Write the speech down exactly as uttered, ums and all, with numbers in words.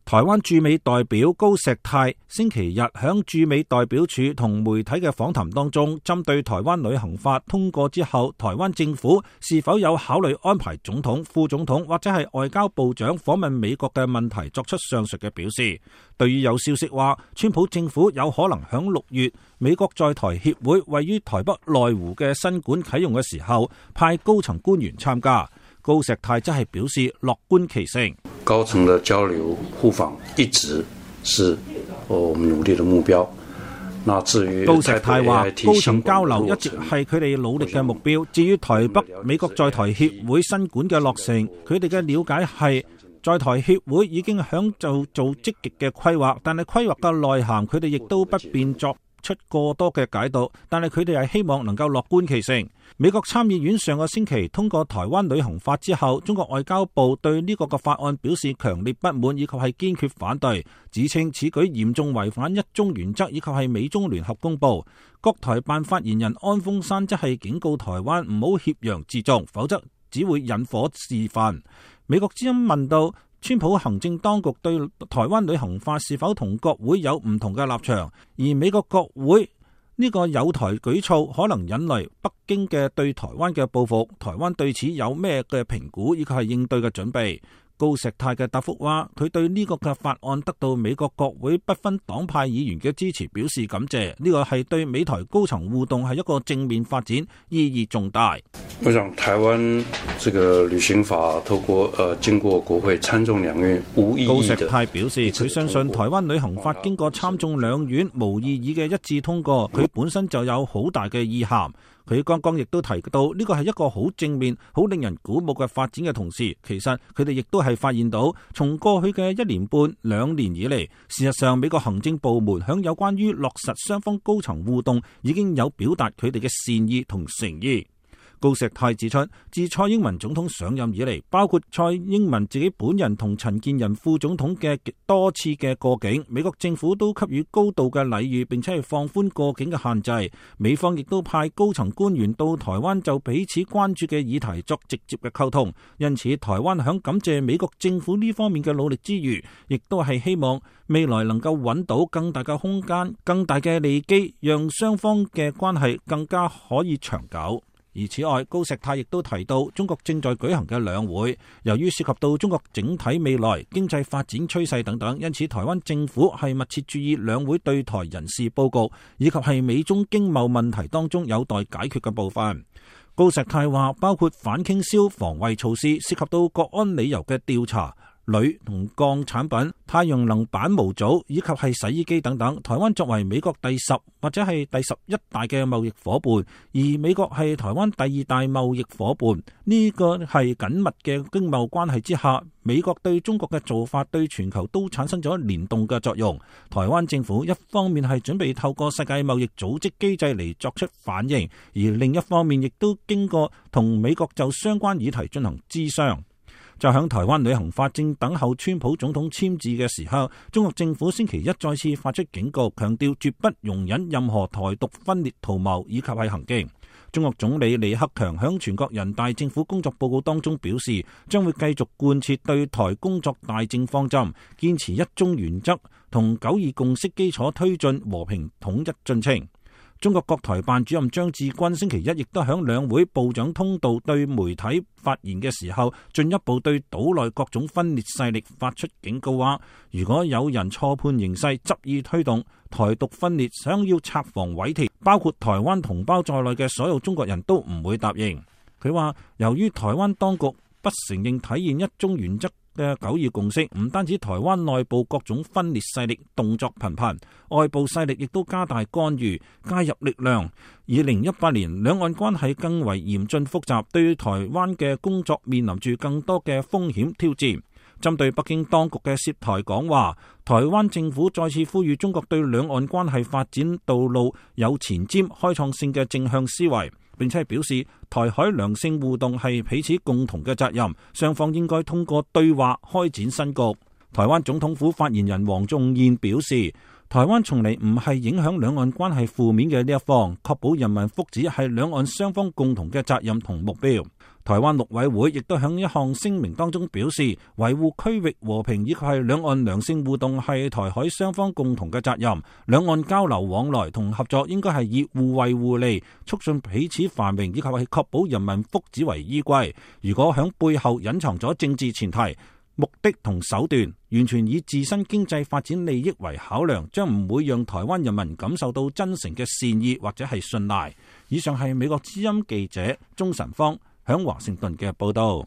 台灣駐美代表高石泰星期日響駐美代表處同媒體嘅訪談當中，針對台灣旅行法通過之後，台灣政府是否有考慮安排總統、副總統或者係外交部長訪問美國嘅問題作出上述嘅表示。對於有消息話，川普政府有可能響六月美國在台協會位於台北內湖嘅新館啟用嘅時候，派高層官員參加。高石泰則係表示樂觀其成，高層的交流互訪一直是我們努力的目標。那至於高石泰話，高層交流一直係佢哋努力嘅目標。至於台北美國在台協會新館嘅落成，佢哋嘅了解係在台協會已經響做做積極嘅規劃，但係規劃嘅內涵佢哋亦都不便作出過多嘅解讀，但係佢哋係希望能夠樂觀其成。美國參議院上個星期通過台灣旅行法之後，中國外交部對呢個嘅法案表示強烈不滿以及係堅決反對，指稱此舉嚴重違反一中原則以及係美中聯合公報。國台辦發言人安峰山則係警告台灣唔好挾洋自重，否則只會引火示範。美國之音問到川普行政當局對台灣旅行法是否同國會有唔同嘅立場，而美國國會呢個有台舉措可能引嚟北京嘅對台灣嘅報復，台灣對此有咩嘅評估以及係應對嘅準備？高石泰嘅答覆話，佢對呢個嘅法案得到美國國會不分黨派議員嘅支持表示感謝，呢個係對美台高層互動係一個正面發展，意義重大。我想台灣這個旅行法透過呃經過國會參眾兩院無異議。高石泰表示，佢相信台灣旅行法經過參眾兩院無異議嘅一致通過，佢本身就有好大嘅意涵。佢剛剛亦都提到呢個係一個好正面、好令人鼓舞嘅發展嘅同時，其實佢哋亦都係發現到，從過去嘅一年半兩年以嚟，事實上美國行政部門響有關於落實雙方高層互動已經有表達佢哋嘅善意同誠意。高石泰指出，自蔡英文總統上任以嚟，包括蔡英文自己本人同陳建仁副總統嘅多次嘅過境，美國政府都給予高度嘅禮遇，並且係放寬過境嘅限制。美方亦都派高層官員到台灣就彼此關注嘅議題作直接嘅溝通。因此，台灣響感謝美國政府呢方面嘅努力之餘，亦都係希望未來能夠揾到更大嘅空間、更大嘅利基，讓雙方嘅關係更加可以長久。而此外，高石泰亦都提到，中國正在舉行嘅兩會，由於涉及到中國整體未來經濟發展趨勢等等，因此台灣政府係密切注意兩會對台人事佈局，以及係美中經貿問題當中有待解決嘅部分。高石泰話，包括反傾銷防衛措施，涉及到國安理由嘅調查、鋁同鋼產品、太陽能板模組以及係洗衣機等等。台灣作為美國第十或者係第十一大嘅貿易夥伴，而美國係台灣第二大貿易夥伴，呢個係緊密嘅經貿關係之下，美國對中國嘅做法對全球都產生咗聯動嘅作用。台灣政府一方面係準備透過世界貿易組織機制嚟作出反應，而另一方面亦都經過同美國就相關議題進行諮商。就響台灣旅行法正等候川普總統簽字嘅時候，中國政府星期一再次發出警告，強調絕不容忍任何台獨分裂圖謀以及係行徑。中國總理李克強響全國人大政府工作報告當中表示，將會繼續貫徹對台工作大政方針，堅持一中原則同九二共識基礎推進和平統一進程。中國國台辦主任張志軍星期一亦都響兩會部長通道對媒體發言嘅時候，進一步對島內各種分裂勢力發出警告，話如果有人錯判形勢，執意推動台獨分裂，想要拆防毀鐵，包括台灣同胞在內嘅所有中國人都唔會答應。佢話，由於台灣當局不承認體現一中原則嘅九二共識，唔單止台灣內部各種分裂勢力動作頻頻，外部勢力亦都加大干預介入力量。二零一八年兩岸關係更為嚴峻複雜，對於台灣嘅工作面臨住更多嘅風險挑戰。針對北京當局嘅涉台講話，台灣政府再次呼籲中國對兩岸關係發展道路有前瞻開創性嘅正向思維，並且表示台海良性互動係彼此共同嘅責任，雙方應該通過對話開展新局。台灣總統府發言人黃仲彥表示，台灣從嚟唔係影響兩岸關係負面嘅呢一方，確保人民福祉係兩岸雙方共同嘅責任同目標。台灣陸委會亦都響一項聲明當中表示，維護區域和平以及係兩岸良性互動係台海雙方共同嘅責任，兩岸交流往來同合作應該係以互惠互利、促進彼此繁榮以及係確保人民福祉為依歸。如果響背後隱藏咗政治前提、目的同手段，完全以自身經濟發展利益為考量，將唔會讓台灣人民感受到真誠嘅善意或者係信賴。以上係美國之音記者鍾晨芳響華盛頓嘅報道。